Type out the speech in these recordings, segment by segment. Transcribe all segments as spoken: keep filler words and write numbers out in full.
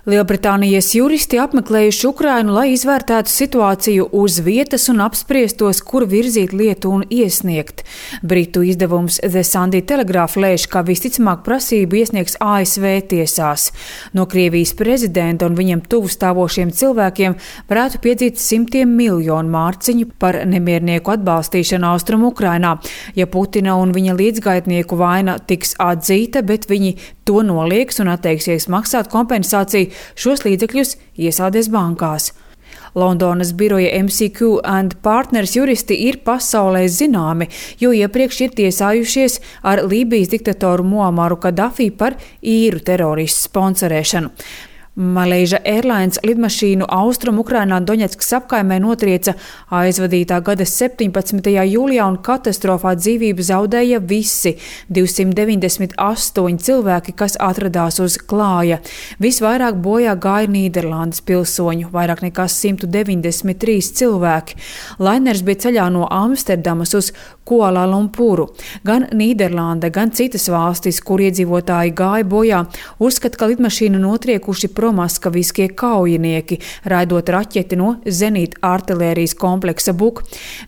Lielbritānijas juristi apmeklējuši Ukrainu, lai izvērtētu situāciju uz vietas un apspriestos, kur virzīt lietu un iesniegt. Britu izdevums The Sunday Telegraph lēš, ka visticamāk prasību iesniegs A S V tiesās. No Krievijas prezidenta un viņam tuvu stāvošiem cilvēkiem varētu piedzīt simtiem miljonu mārciņu par nemiernieku atbalstīšanu Austrumu Ukrainā, ja Putina un viņa līdzgaitnieku vaina tiks atzīta, bet viņi to nolieks un atteiksies maksāt kompensāciju. Šos līdzekļus iesādēs bankās. Londonas biroja M C Q and Partners juristi ir pasaulē zināmi, jo iepriekš ir tiesājušies ar Lībijas diktatoru Muamaru Kadafī par īru teroristu sponsorēšanu. Malaysia Airlines lidmašīnu Austrumu Ukrainā Doņetskas apkaimē notrieca aizvadītā gada septiņpadsmitajā jūlijā un katastrofā dzīvību zaudēja visi divsimt deviņdesmit astoņi cilvēki, kas atradās uz klāja. Visvairāk bojā gāja Nīderlandes pilsoņu, vairāk nekā simt deviņdesmit trīs cilvēki. Lainers bija ceļā no Amsterdamas uz Kuala Lumpuru. Gan Nīderlande, gan citas valstis, kur iedzīvotāji gāja bojā, uzskata, ka lidmašīnu notriekuši promaskaviskie kaujinieki, raidot raķeti no zenīta artilērijas kompleksa Buk,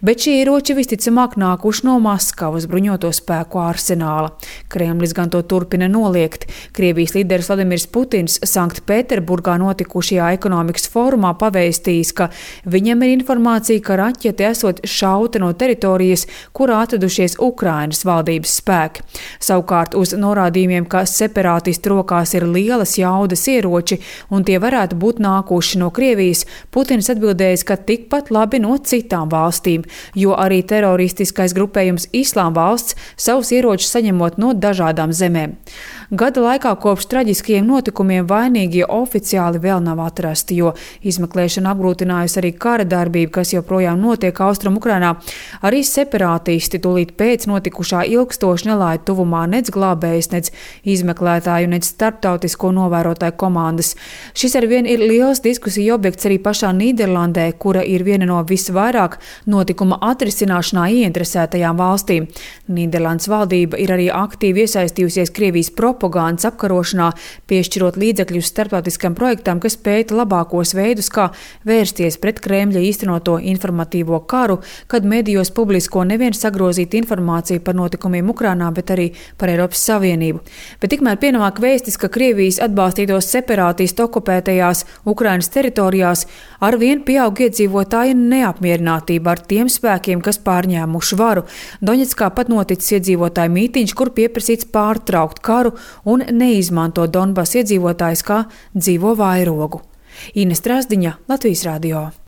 bet šie ieroči visticamāk nākuši no Maskavas bruņoto spēku arsenāla. Kremlis gan to turpina noliegt. Krievijas līderis Vladimirs Putins Sanktpēterburgā notikušajā ekonomikas fórumā pavēstījis, ka viņam ir informācija, ka raķete esot šauta no teritorijas, kurā atradušies Ukrainas valdības spēki. Savukārt uz norādījumiem, ka separātistu rokās ir lielas jaudas ieroči un tie varētu būt nākuši no Krievijas, Putins atbildējis, ka tikpat labi no citām valstīm, jo arī teroristiskais grupējums Islāma valsts savus ieročus saņemot no dažādām zemēm. Gada laikā kopš traģiskajiem notikumiem vainīgie oficiāli vēl nav atrasti, jo izmeklēšana apgrūtinājusi arī kara darbība, kas joprojām notiek Austrumu Ukrainā. Arī separātisti tūlīt pēc notikušā ilgstoši nelaida tuvumā nec glābējs, nec izmeklētāju, nec starptautisko novērotāju komandas. Šis arvien ir liels diskusiju objekts arī pašā Nīderlandē, kura ir viena no visvairāk notikuma atrisināšanā ieinteresētajām valstīm. Nīderlandes valdība ir arī aktīvi iesaistījusies Krievijas propagandas apkarošanā, piešķirot līdzekļus starptautiskam projektam, kas pēta labākos veidus, kā vērsties pret Kremļa īstenoto informatīvo karu, kad medijos publisko nevien sagrozīt informāciju par notikumiem Ukrainā, bet arī par Eiropas Savienību. Bet tikmēr pienāk vēstis, ka Krievijas atbalstītos separātistu okupētajās Ukrainas teritorijās arvien pieaug iedzīvotāju neapmierinātība ar tiem spēkiem, kas pārņēmuši varu. Doņetskā pat noticis iedzīvotāju mītiņš, kur pieprasīts pārtraukt karu un neizmanto Donbas iedzīvotājus kā dzīvo vairogu. Ines Trasdiņa, Latvijas radio.